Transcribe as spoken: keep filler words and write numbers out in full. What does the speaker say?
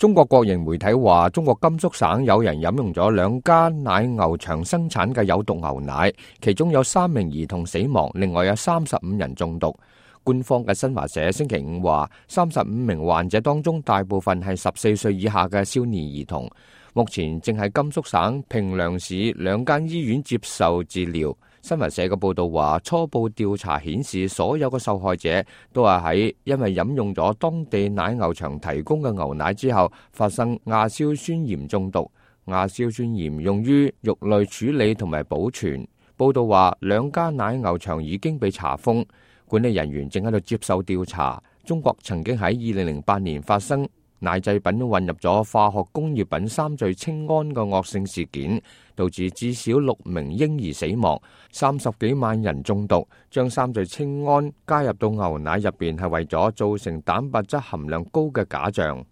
中國國營媒體話，中國甘肅省有人飲用咗兩家奶牛場生產嘅有毒牛奶，其中有三名兒童死亡，另外有三十五人中毒。官方嘅新華社星期五話，三十五名患者當中大部分係十四歲以下嘅少年兒童，目前正喺甘肅省平涼市兩間醫院接受治療。新華社嘅報道話，初步調查顯示，所有嘅受害者都係喺因為飲用咗當地奶牛場提供嘅牛奶之後，發生亞硝酸鹽中毒。亞硝酸鹽用於肉類處理同埋保存。報道話，兩家奶牛場已經被查封，管理人員正喺度接受調查。中國曾經喺二零零八年發生奶製品混入咗化學工業品三聚氰胺嘅惡性事件，導致至少六名嬰兒死亡，三十幾萬人中毒。將三聚氰胺加入到牛奶入邊係為咗造成蛋白質含量高嘅假象。